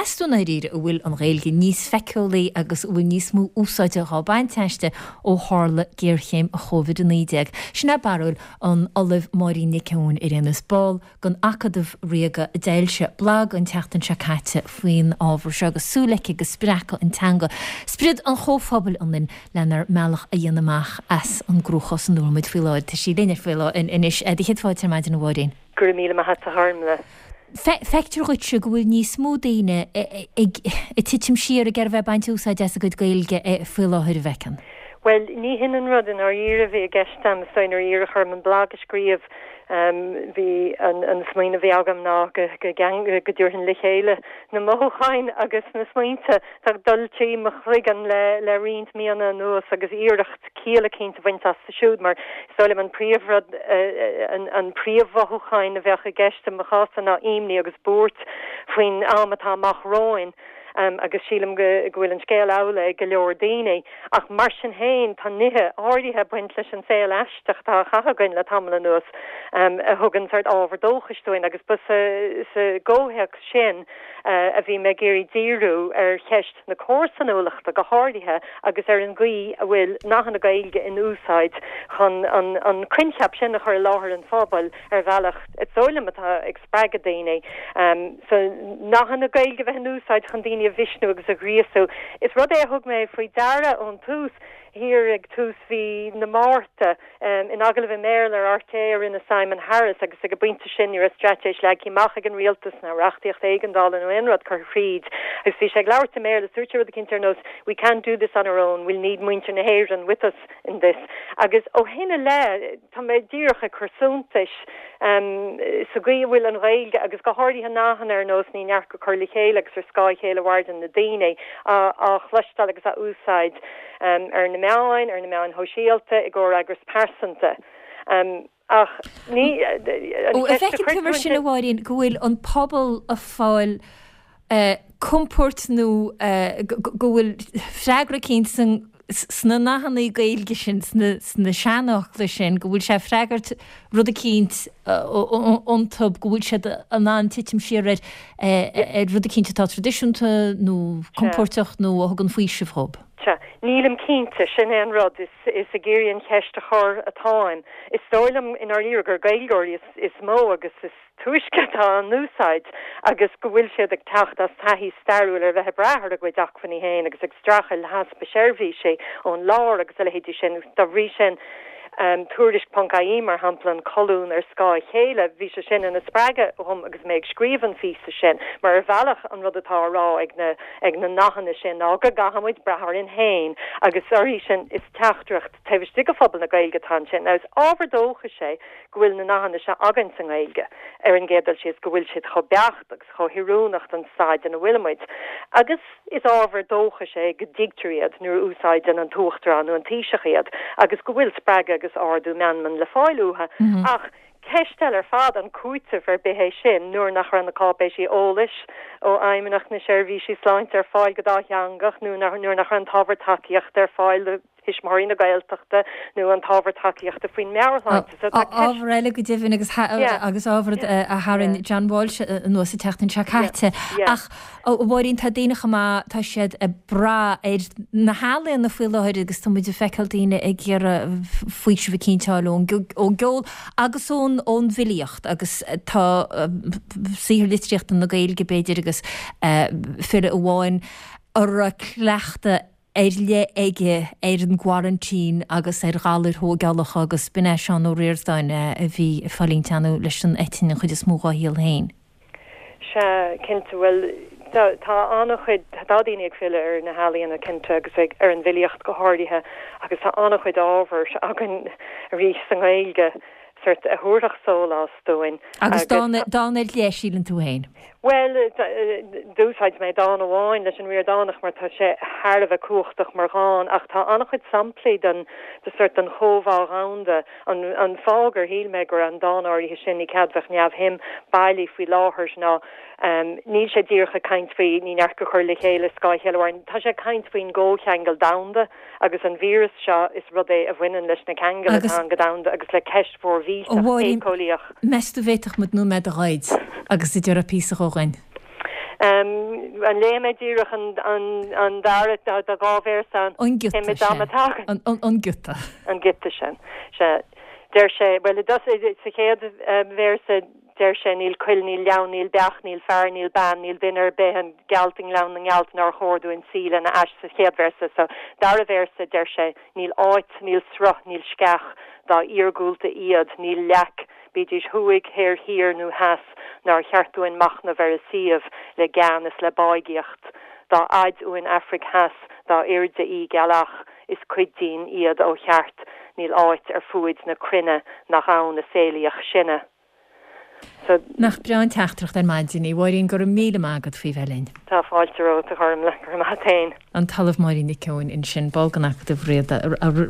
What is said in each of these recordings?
Meas tú i ndáiríre an bhfuil an Ghaeilge níos feiceálaí agus an bhfuil níos mó úsáide dhá baint aisti ó tharla géarchéim Covid-19? Sin é barúil an Ollaimh Máirín Nic Eoin ar aon nós, ball den Acadamh Ríoga a d'fhoilsigh blag an tseachtain seo caite faoin ábhar seo agus súil aici go spreagfaidh an teanga sprid an chomhphobail ionainn lenár mbealach a dhéanamh amach as an gcruachás ina bhfuil muid faoi láthair. Tá sí linn faoi láthair anois. Do chéad fáilte ar maidin a Mháirín. Go raibh míle maith a't a Ghormlaith. Feictear dhuitse go bhfuil níos mó daoine ag titim siar ag iarraidh a bheith ag baint úsáid as a gcuid Gaeilge faoi láthair, an bhfeiceann? Bhuel, ní hin an rud i ndáiríre a bhí i gceist a'm. Is dóigh nuair a iarradh orm an blag a scríobh, bhí an smaoineamh a bhí agam ná go dtabharfainn le chéile na mothúcháin agus na smaointe atá ag dul trí mo chloigeann le roinnt míonna anuas agus iarracht ciall eicínt a bhaint astu siúd mar is dóigh liom an príomhrud, an príomh-mhothúcháin a bheadh i gceist i mo chás-sa ná imní agus buairt faoin am atá amach romhainn agus sílim go bhfuil an scéal amhlaidh ag go leor daoine. Ach mar sin féin tá nithe áirithe ag baint leis an saol aisteach atá á chaitheamh againn le tamall anuas a thugann sórt ábhar dóchais dúinn agus ba sa gcomhthéacs sin a bhí mé ag iarraidh díriú ar cheist na comharsanúlachta go háirithe agus ar an gcaoi a bhfuil nathanna Gaeilge in úsáid chun an coincheap sin a chur i láthair an phobail ar bhealach, is dóigh liom, atá ag spreagadh daoine. So, nathanna Gaeilge a bheith in úsáid chun daoine a mhisniú agus a ghríosú. Is rud é a thug mé faoi deara ón tús, thiar ag tús mhí na Márta, In agallamh i mBéarla ar RTÉ a rinne Simon Harris agus ag an bpointe sin ní raibh straitéis leagtha amach ag an rialtas ná reachtaíocht éigeandála nó aon rud curtha thríd agus bhí sé ag labhairt i mBéarla dúirt sé rud eicínt ar nós 'we can't do this on our own, we'll need muintir na hÉireann with us in this' agus ó shin i leith tá mé díreach ag cur suntais sa gcaoi a bhfuil an Ghaeilge agus go háirithe nathanna ar nós 'ní neart go cur le chéile' agus 'ar scáth a chéile a mhaireann na daoine' á chloisteáil agus á úsáid. ar na meáin, ar na meáin shóisialta, i gcomhfhreagras pearsanta. Ach ní, an cheist a chuir tú mar sin, a Mháirín, go bhfuil an pobal ag fáil compóirt nó go bhfuil freagra eicínt sna nathanna Gaeilge sin, sna seanfhocla sin, go bhfuil sé ag freagairt rud eicínt iontu, go bhfuil siad in ann titim siar ar rud eicínt atá traidisiúnta nó compóirteach nó a thugann faoiseamh dhóibh. Sea. Nílim cinnte. Sin é an rud. Is is ag iarraidh an cheist a chur atáim. Is dóigh liom i ndáiríre gur Gaeilgeoirí is is mó agus is túisce atá á n-úsáid agus go bhfuil siad ag teacht as taithí stairiúil ar bheith ag brath ar a gcuid acmhainní féin agus ag streachailt le heaspa seirbhísí ón lár agus a leithéidí sin. Dá bhrí sin, Tuairisc ponc ie mar shampla, an colún ar scáth a chéile, bhí sé sin ina spreagadh dhom agus mé ag scríobh an phíosa sin, mar ar bhealach an rud atá á rá ag na ag na nathanna sin ná go gcaithfidh muid brath orainn féin agus uirthi sin is teachtaireacht taobh istigh de phobal na Gaeilge atá ansin. Now is ábhar dóchais é go bhfuil na nathanna seo againn sa nGaeilge ar an gcéad dul síos, go bhfuil siad chomh beacht agus chomh hoiriúnach don staid ina bhfuil muid agus is ábhar dóchais é go dtuigtear iad nuair a úsáideann an tUachtarán nó an Taoiseach iad agus go bhfuil spreagadh agus ardú meanman le fáil uathu ach Ceist eile ar fad an cúiteamh ar bith é sin nuair nach raibh na cáipéisí eolais ó Fheidhmeannacht na Seirbhísí Sláinte ar fáil go dátheangach nó nuair nach raibh an t-ábhar tacaíochta ar fáil do thuismitheoirí na Gaeltachta nó an t-ábhar tacaíochta faoin meabhairshláinte. So tá ceist. Ábhar eile go deimhin agus agus ábhar a tharraing John Walsh anuas an tseachtain seo caite. Ach A Mháirín, tá daoine chomh maith, tá siad ag brath ar na healaíona faoi láthair agus tá muid ag feiceáil daoine ag iarraidh faoiseamh eicínt a fháil ón gceol agus ón ón bhfilíocht agus tá saothar litríochta na Gaeilge b'fhéidir agus file amháin a raibh cleachtadh ar leith aige ar an gcoraintín agus ar ghalair thóigeálacha agus b'in é Seán Ó Ríordáin a bhí ag fulaingt ar ndóigh leis an eitinn an chuid is mó dhá shaol féin. Sea, cinnte. Bhuel, tá an-chuid, tá daoine ag filleadh ar na healaíona, cinnte, agus ag, ar an bhfilíocht go háirithe, agus tá an-chuid ábhair againn arís sa nGaeilge, sórt, a thabharfadh sólás dúinn. Agus dán, dán ar leith, síleann tú féin? Bhuel, d'úsáid mé dán amháin leis an Ríordánach mar tá sé thar a bheith cumhachtach mar dhán, ach tá an-chuid samplaí den, de sórt, den chomhbhá dhomhanda, An fáth gur shíl mé go raibh an dán áirithe sin, Ní Cead Bheadh Neamhshuim, bailí faoi láthair ná níl sé díreach ag caint faoi ní neart go cur le chéile, scáth a chéile a mhaireann. Tá sé ag caint faoin gcomhcheangal domhanda agus an víreas seo, is rud é a bhaineann leis na ceangail atá ann go domhanda agus le ceist mhór mhillteach éiceolaíoch. Meas tú bhféadfadh muid nóiméad a ghoid agus an dtabharfá píosa dhó dhuinn? An léifidh mé díreach an dara, tá 2 véarsa ann. An giota, sea. An giota. An giota sin, sea. Deir sé, bhuel, i dtosach, sa chéad véarsa, deir sé, níl coill, níl gleann, níl beach, níl fear, níl bean, níl duine ar bith, an gealt i nGleann na nGealt nár chóir dúinn suí lena ais sa chéad véarsa. Sa dara véarsa, deir sé, níl áit, níl sruth, níl sceach, dá iargúlta iad, níl leac, bídís thuaidh, thoir, thiar nó theas, nár cheart dúinn machnamh ar a suíomh le gean is le báigíocht. Dá fhaid uainn Aifric Theas, dá airde í gealach, is cuid dínn iad ó cheart, níl áit ar fuaid na cruinne nach ann a saolaíodh sinne. So. Nach breá an teachtaireacht ar maidin í. Mháirín, go raibh míle maith agat faoi bheith linn. Tá fáilte romhat, a Ghormfhlaith. Go raibh maith a't fhéin. An tOllamh Máirín Nic Eoin ansin, ball den Acadamh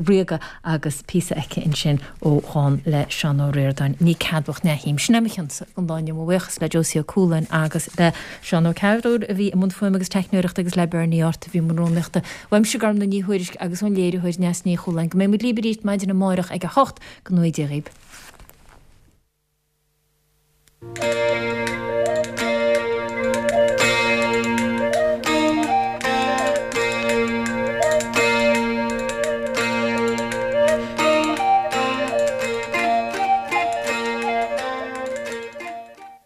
Ríoga agus píosa aici ansin ó dhán le Seán Ó Ríordáin, Ní ceadmhach neamhshuim. Sin é mo chionsa don lá inniu. Mo bhuíochas le Josie Ó Cualáin agus le Seán Ó Cearúil a bhí i mbun fuaime agus teicneoireachta agus le Bernie Art a bhí i mbun rúnaíochta. Uaimse Gormfhlaith Ní Thuairisg agus ón léiritheoir Neasa Ní Chualáin. Go mbeidh muid libh arís maidin amárach ag a hocht. Go ngnóthaí Dia dhaoib.